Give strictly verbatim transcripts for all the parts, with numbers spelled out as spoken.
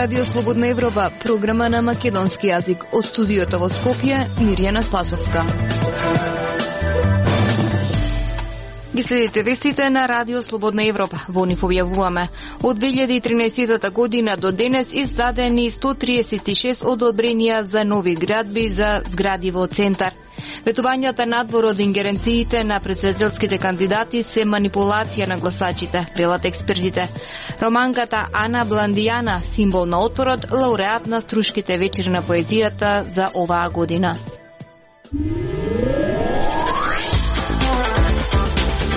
Радио Слободна Европа, програма на македонски јазик. Од студиото во Скопје, Мирјана Спасовска. Ги следите вестите на Радио Слободна Европа. Во нив објавуваме. Од две илјади и тринаесетта година до денес издадени сто триесет и шест одобренија за нови градби за згради во центар. Ветувањата надвор од ингеренциите на претседателските кандидати се манипулација на гласачите, велат експертите. Романката Ана Бландијана, символ на отпорот, лауреат на Струшките вечери на поезијата за оваа година.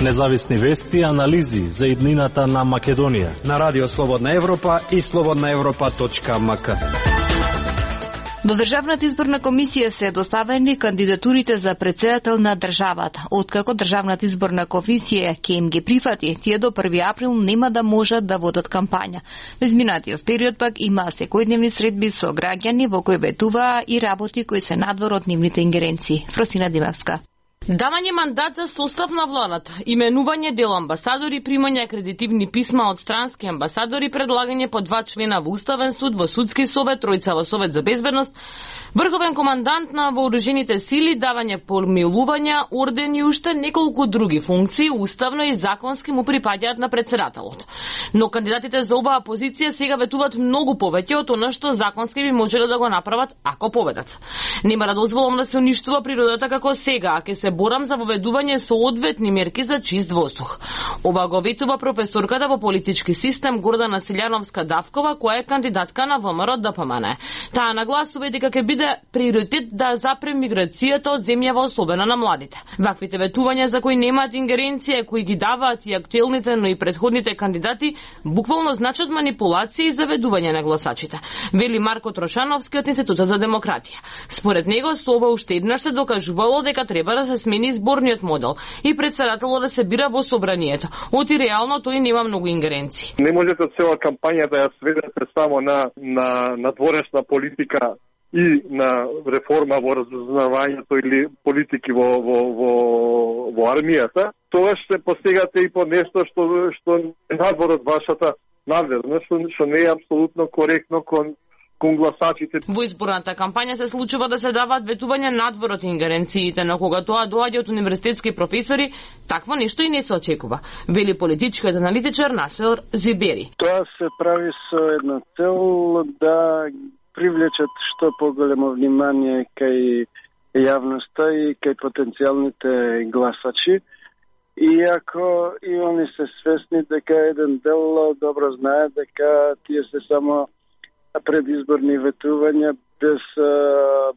Независни вести и анализи за иднината на Македонија на Радио Слободна Европа и слободна европа точка ем ка. До Државната изборна комисија се доставени кандидатурите за претседател на државата. Откако Државната изборна комисија ќе им ги прифати, тие до први април нема да можат да водат кампања. Во изминатиот период пак има секојдневни средби со граѓани во кои ветуваа и работи кои се надвор од нивните ингеренции. Фросина Димевска. Давање мандат за состав на владата, именување дел амбасадори, примање акредитивни писма од странски амбасадори, предлагање по два члена во Уставен суд, во Судски совет, тројца во Совет за безбедност, врховен командант на вооружените сили, давање помилувања, ордени и уште неколку други функции, уставно и законски му припаѓаат на претседателот. Но кандидатите за оваа позиција сега ветуваат многу повеќе од она што законски би можеле да го направат ако победат. Нема да дозволам да се уништува природата како сега, а ќе се борам за воведување со одветни мерки за чист воздух. Ова го ветува професорката во политички систем Гордана Силјановска-Давкова, која е кандидатка на ВМРО Д П М Н. Таа нагласува дека ќе биде приоритет да запре миграцијата од земјава, особено на младите. Ваквите ветувања за кои немаат ингеренција, кои ги даваат и актуелните, но и предходните кандидати, буквално значат манипулација и заведување на гласачите, вели Марко Трошановски од Институтот за демократија. Според него, со ова уште еднаш се докажувало дека треба да се смени изборниот модел и претседателот да се бира во собранието. Оти реално тој нема многу ингеренции. Не можете цела кампања да ја сведете само на на надворешна политика и на реформа во разузнавањето или политики во во во во армијата. Тоа се постигате и по нешто што што е надвор од вашата надвезност, што не е апсолутно коректно кон кон гласачите. Во изборната кампања се случува да се даваат ветувања надвор од ингеренциите, но кога тоа доаѓа од универзитетски професори, такво нешто и не се очекува, вели политичкиот аналитичар Насер Зибери. Тоа се прави со една цел да привлечат што поголемо внимание кај јавноста и кај потенцијалните гласачи. Иако и они се свесни дека еден дел добро знае дека тие се само предизборни ветувања без а,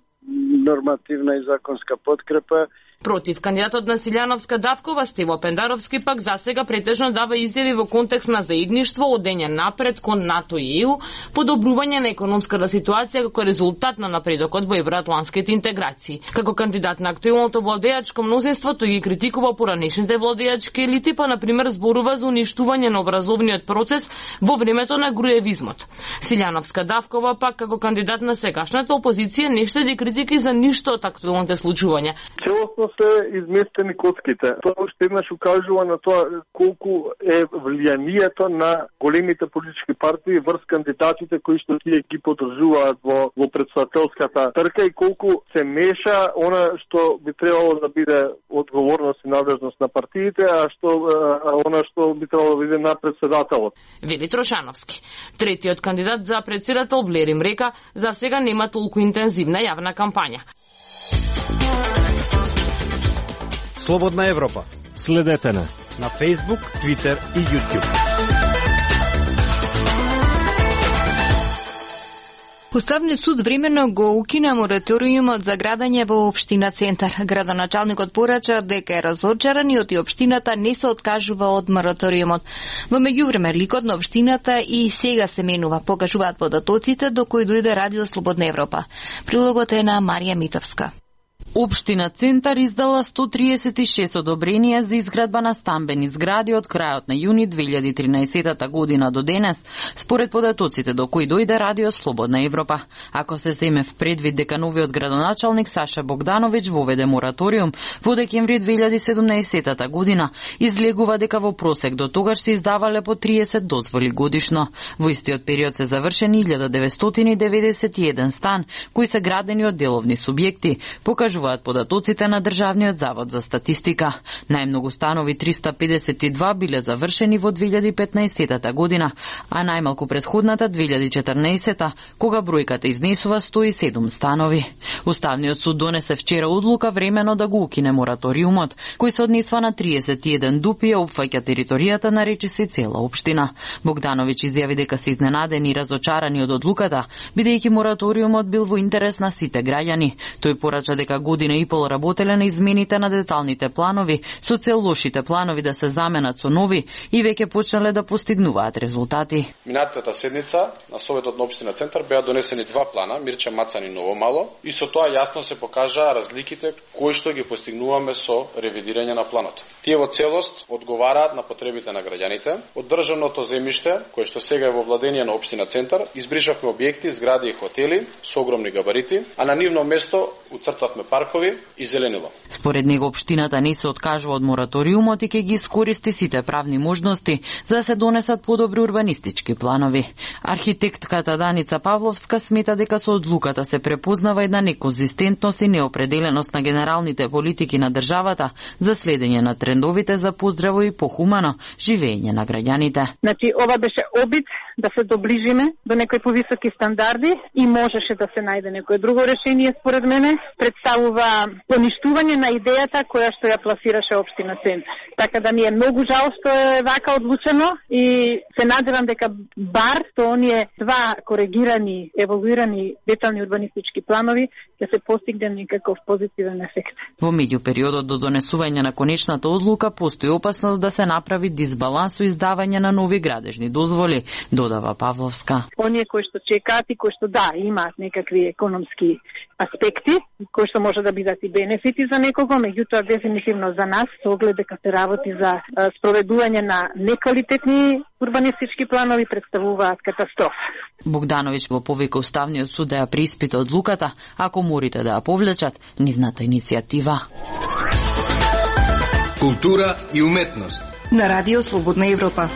нормативна и законска подкрепа. Против кандидатот на Силјановска-Давкова, Стево Пендаровски, пак засега претежно дава изјави во контекст на заедништво, одење напред кон НАТО и Е У, подобрување на економската ситуација како резултат на напредокот во евроатланските интеграции. Како кандидат на актуелното владеачко мнозинство, тој ги критикува поранешните владеачки елити, па например зборува за уништување на образовниот процес во времето на груевизмот. Силјановска-Давкова пак како кандидат на сегашната опозиција не штеди критики за ништо од актуелните случувања. Целосно се изместени коцките. Тоа уште еднаш укажува на тоа колку е влијанието на големите политички партии врз кандидатите кои што тие ги подржуваат во, во претседателската трка и колку се меша она што би требало да биде одговорност и надежност на партиите, а што а, она што би требало да биде на претседателот. Вели Трошановски. Третиот кандидат за претседател Блерим река за сега нема толку интензивна јавна кампања. Слободна Европа. Следете на на Facebook, Twitter и YouTube. Уставниот суд временно го укина мораториумот за градење во општина Центар. Градоначалникот порача дека е разочаран и од општината не се откажува од мораториумот. Во меѓувреме ликот на општината и сега се менува, покажуваат податоците до кои дојде Радио Слободна Европа. Прилогот е на Марија Митовска. Општина Центар издала сто триесет и шест одобренија за изградба на стамбени згради од крајот на јуни две илјади и тринаесета година до денес, според податоците до кои дојде Радио Слободна Европа. Ако се земе в предвид дека новиот градоначалник Саша Богдановиќ воведе мораториум во декември две илјади и седумнаесета година, излегува дека во просек до тогаш се издавале по триесет дозволи годишно. Во истиот период се завршени илјада деветстотини деветдесет и еден стан, кои се градени од деловни субјекти, покажуваат податоците на Државниот завод за статистика. Најмногу станови триста педесет и два биле завршени во две илјади и петнаесета година, а најмалку предходната две илјади и четрнаесета, кога бројката изнесува сто и седум станови. Уставниот суд донесе вчера одлука времено да го укине мораториумот, кој се однесува на триесет и еден дупи и опфаќа територијата на речиси цела општина. Богдановиќ изјави дека се изненадени и разочарани од одлуката, бидејќи мораториумот бил во интерес на сите граѓани. Тој порача дека година и пол работеле на измените на деталните планови, со цел лошите планови да се заменат со нови и веќе почнале да постигнуваат резултати. Минатата седница на Советот на општина Центар беа донесени два плана, Мирча Мацан и Ново Мало, и со тоа јасно се покажаа разликите кои што ги постигнуваме со ревидирање на планот. Тие во целост одговараат на потребите на граѓаните. Од државното земјиште, кое што сега е во владење на општина Центар, избришавме објекти, згради и хотели со огромни габарити, а на нивно место уцртавме паркови и зеленило. Според него општината не се откажува од мораториумот и ќе ги искористи сите правни можности за да се донесат подобри урбанистички планови. Архитектката Даница Павловска смета дека со одлуката се препознава една неконзистентност и неопределеност на генералните политики на државата за следење на трендовите за поздраво и похумано живење на граѓаните. Значи, ова беше обид да се доближиме до некои повисоки стандарди и можеше да се најде некое друго решение, според мене, представува поништување на идејата која што ја пласираше општина Центар. Така да ми е многу жал што е вака одлучено и се надевам дека бар со оние два коригирани, еволуирани детални урбанистички планови ќе се постигне некаков позитивен ефект. Во меѓупериодот до донесување на конечната одлука постои опасност да се направи дисбаланс со издавање на нови градежни дозволи, додава Павловска. Оние кои што чекаат и кои што да, имаат некакви економски аспекти, кои што може да бидат и бенефити за некого, меѓутоа дефинитивно за нас, со оглед дека се работи за спроведување на неквалитетни урбанистички планови, представуваат катастрофа. Богдановиќ го повика Уставниот суд да ја преиспита одлуката, ако морите да ја повлечат нивната иницијатива. Култура и уметност на Радио Слободна Европа.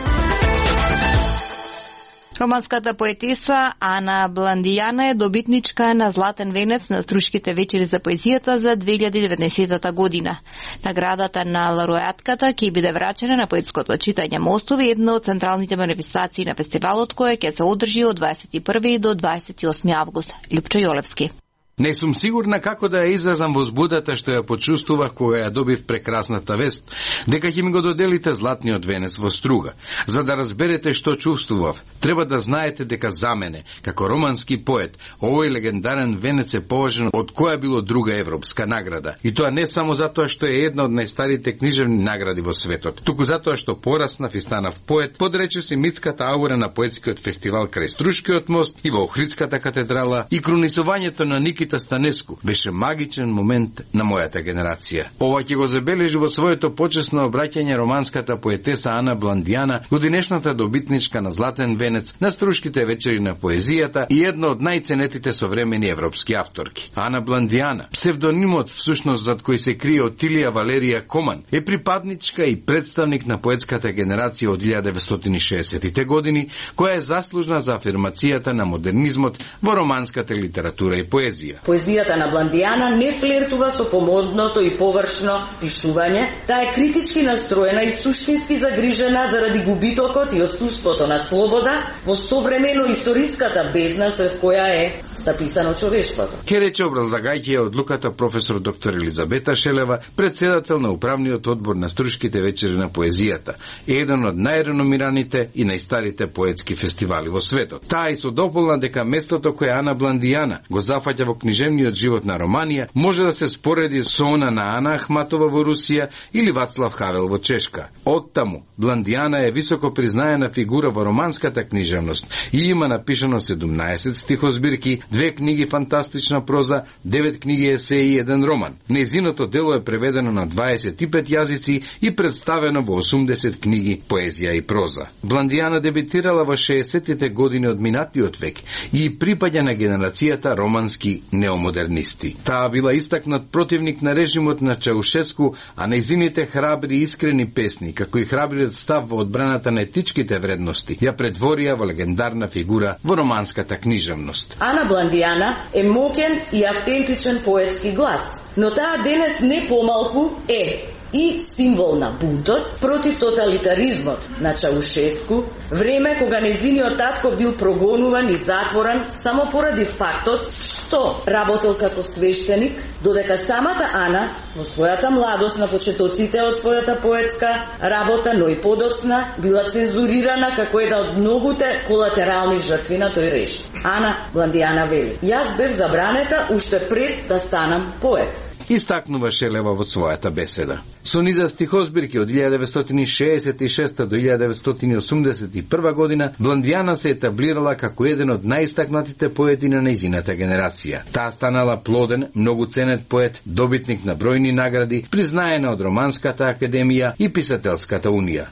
Романската поетеса Ана Бландијана е добитничка на Златен венец на Струшките вечери за поезијата за две илјади и деветнаесета година. Наградата на лауреатката ќе биде врачена на поетското читање Мостови, една од централните манифестации на фестивалот, која ќе се одржи од дваесет и први до дваесет и осми август. Лјупчо Јолевски. Не сум сигурна како да ја изразам возбудата што ја почувствував кога ја добив прекрасната вест дека ќе ми го доделите златниот венец во Струга. За да разберете што чувствував, треба да знаете дека за мене, како романски поет, овој легендарен венец е поважен од која било друга европска награда. И тоа не само затоа што е една од најстарите книжевни награди во светот, туку затоа што пораснав и станав поет под речиси митската аура на поетскиот фестивал крај Струшкиот мост и во Охридската катедрала и крунисувањето на Никита Станеску беше магичен момент на мојата генерација. Ова ќе го забележи во своето почесно обраќање романската поетеса Ана Бландијана, годинешната добитничка на Златен венец на Струшките вечери на поезијата и една од најценетите современи европски авторки. Ана Бландијана, псевдонимот всушност зад кој се крие Отилија Валерија Коман, е припадничка и представник на поетската генерација од илјада деветстотини и шеесеттите години, која е заслужна за афирмацијата на модернизмот во романската литература и поезија. Поезијата на Бландијана не флиртува со помодното и површно пишување, таа е критички настроена и суштински загрижена заради губитокот и отсуството на слобода во современо историската бездна сред која е записано човештвото. Ке рече образлагајќи ја одлуката професор доктор Елизабета Шелева, председател на управниот одбор на Струшките вечери на поезијата, еден од најреномираните и најстарите поетски фестивали во светот. Таа и со дополна дека местото кое Ана Бландијана го зафаќа во книжевниот живот на Романија може да се спореди со она на Ана Ахматова во Русија или Вацлав Хавел во Чешка. Оттаму, Бландијана е високо признаена фигура во романската книжевност и има напишано седумнаесет стихозбирки, две книги фантастична проза, девет книги есеи и еден роман. Нејзиното дело е преведено на дваесет и пет јазици и представено во осумдесет книги поезија и проза. Бландијана дебитирала во шеесеттите години од минатиот век и припаѓа на генерацијата романски неомодернисти. Таа била истакнат противник на режимот на Чаушеску, а нејзините храбри и искрени песни, како и храбриот став во одбраната на етичките вредности, ја претворија во легендарна фигура во романската книжевност. Ана Бландијана е моќен и автентичен поетски глас, но таа денес не помалку е и символ на бунтот против тоталитаризмот на Чаушеску, време кога нејзиниот татко бил прогонуван и затворен само поради фактот што работел како свештеник, додека самата Ана во својата младост на почетоците од својата поетска работа, но и подоцна, била цензурирана како една од многуте колатерални жртви на тој режим. Ана Бландијана вели: "Јас бев забранета уште пред да станам поет." Истакнува Шелева во својата беседа. Со низа стихозбирки од илјадет деветстотини шеесет и шеста до илјадет деветстотини осумдесет и прва година, Бландијана се етаблирала како еден од најистакнатите поети на нејзината генерација. Таа станала плоден, многу ценет поет, добитник на бројни награди, признаена од Романската академија и Писателската унија.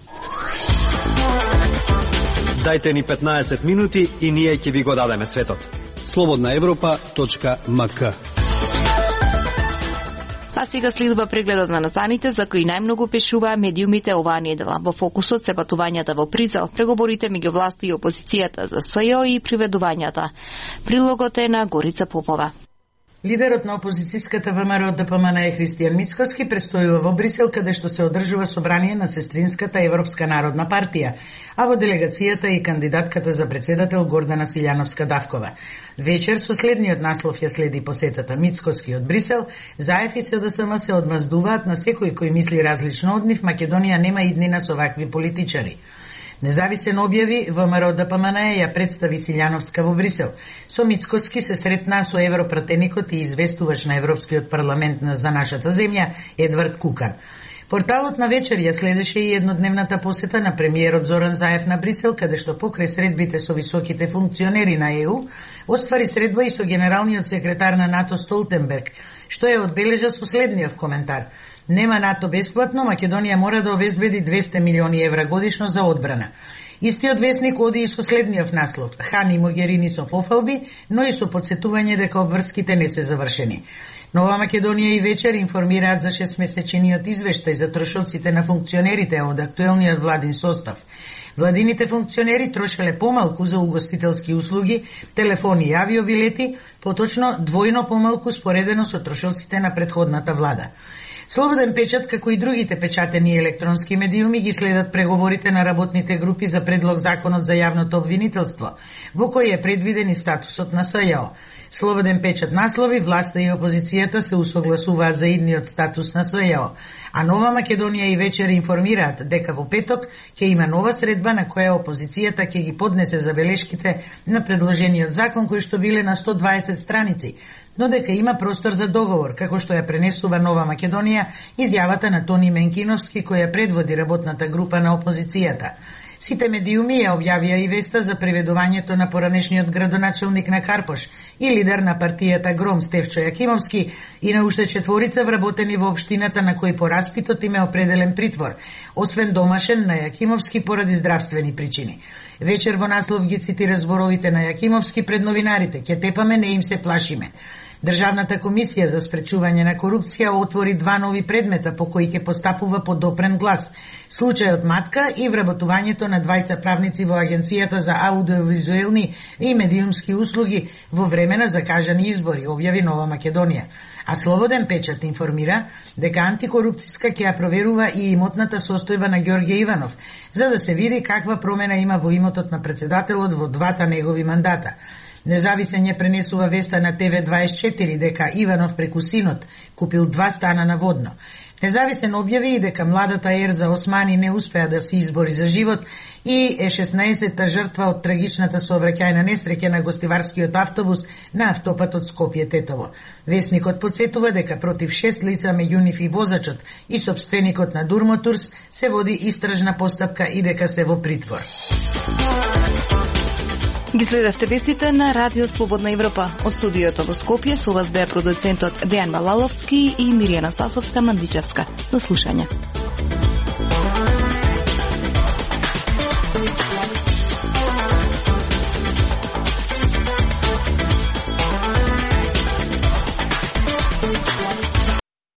Дајте ни петнаесет минути и ние ќе ви го дадеме светот. слободна европа точка ем ка. А сега следува прегледот на настаните за кои најмногу пишуваа медиумите оваа недела. Во фокусот се патувањата во Бризел, преговорите меѓу власти и опозицијата за СЈО и приведувањата. Прилогот е на Горица Попова. Лидерот на опозицијската ВМРО Д П М Н Христијан Мицкоски престојува во Брисел, каде што се одржува собрание на сестринската Европска народна партија, а во делегацијата и кандидатката за председател Гордана Силјановска-Давкова. Вечер со следниот наслов ја следи посетата Мицкоски од Брисел, ЗАЕФ и С Д С М се одмаздуваат на секој кој мисли различно од нив. Македонија нема иднина со вакви политичари. Независен објави, ВМРО Д П М Н ја представи Силјановска во Брисел. Со Мицкоски се сретна со европратеникот и известуваш на Европскиот парламент за нашата земја Едвард Кукан. Порталот на вечер ја следеше и еднодневната посета на премиерот Зоран Заев на Брисел, каде што покрај средбите со високите функционери на Е У, оствари средба и со генералниот секретар на НАТО Столтенберг, што ја одбележа со следниот коментар: "Нема НАТО бесплатно, Македонија мора да обезбеди двесте милиони евра годишно за одбрана." Истиот весник оди и со следниот наслов: "Хан и Могерини со пофалби, но и со подсетување дека обврските не се завршени." Нова Македонија и вечер информираат за шестмесечниот извештај за трошоците на функционерите од актуелниот владин состав. Владините функционери трошеле помалку за угостителски услуги, телефони и авиобилети, поточно двојно помалку споредено со трошоците на претходната влада. Слободен печат, како и другите печатени електронски медиуми, ги следат преговорите на работните групи за предлог законот за јавното обвинителство, во кој е предвиден и статусот на СЈО. Слободен печат наслови: власта и опозицијата се усогласуваат за идниот статус на СЈО, а Нова Македонија и вечер информираат дека во петок ќе има нова средба на која опозицијата ќе ги поднесе забелешките на предложениот закон, кои што биле на сто дваесет страници, но дека има простор за договор, како што ја пренесува Нова Македонија изјавата на Тони Менкиновски, која предводи работната група на опозицијата. Сите медиуми ја објавија и веста за приведувањето на поранешниот градоначелник на Карпош и лидер на партијата Гром Стефчо Јакимовски и на уште четворица вработени во општината на кои по распитот им е определен притвор, освен домашен на Јакимовски поради здравствени причини. Вечер во наслов ги цитира зборовите на Јакимовски пред новинарите: "Ке тепаме, не им се плашиме." Државната комисија за спречување на корупција отвори два нови предмета по кои ќе постапува по допрен глас: случајот Матка и вработувањето на двајца правници во Агенцијата за аудиовизуелни и медиумски услуги во време на закажани избори, објави Нова Македонија. А Слободен печат информира дека антикорупцијска ќе ја проверува и имотната состојба на Ѓорѓе Иванов, за да се види каква промена има во имотот на председателот во двата негови мандата. Независен ја пренесува веста на Т В дваесет и четири дека Иванов преку синот купил два стана на Водно. Независен објави и дека младата Ерза Османи не успеа да се избори за живот и е шеснаесетта жртва од трагичната сообраќајна несреќа на гостиварскиот автобус на автопатот Скопје-Тетово. Весникот подсетува дека против шест лица, меѓу нив и возачот и сопственикот на Дурмотурс, се води истражна постапка и дека се во притвор. Ги следевте вестите на Радио Слободна Европа. Од студиото во Скопје со вас беа продуцентот Дејан Балаловски и Миријана Спасовска-Мандичевска. До слушање.